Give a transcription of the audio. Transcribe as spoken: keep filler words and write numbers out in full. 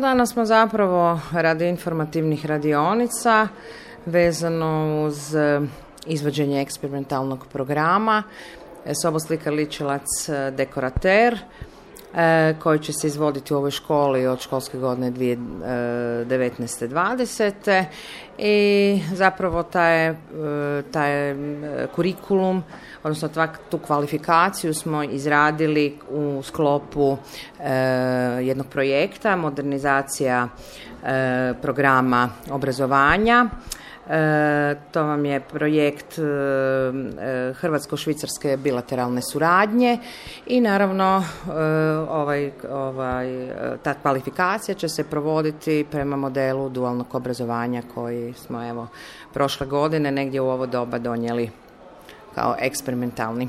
Danas smo zapravo radi informativnih radionica vezano uz izvođenje eksperimentalnog programa Soboslika ličilac dekorater koji će se izvoditi u ovoj školi od školske godine dvije tisuće devetnaeste dvadesete i zapravo taj, taj kurikulum, odnosno tu kvalifikaciju smo izradili u sklopu jednog projekta modernizacija programa obrazovanja. E, to vam je projekt e, hrvatsko-švicarske bilateralne suradnje i naravno e, ovaj, ovaj, ta kvalifikacija će se provoditi prema modelu dualnog obrazovanja koji smo evo prošle godine negdje u ovo doba donijeli kao eksperimentalni.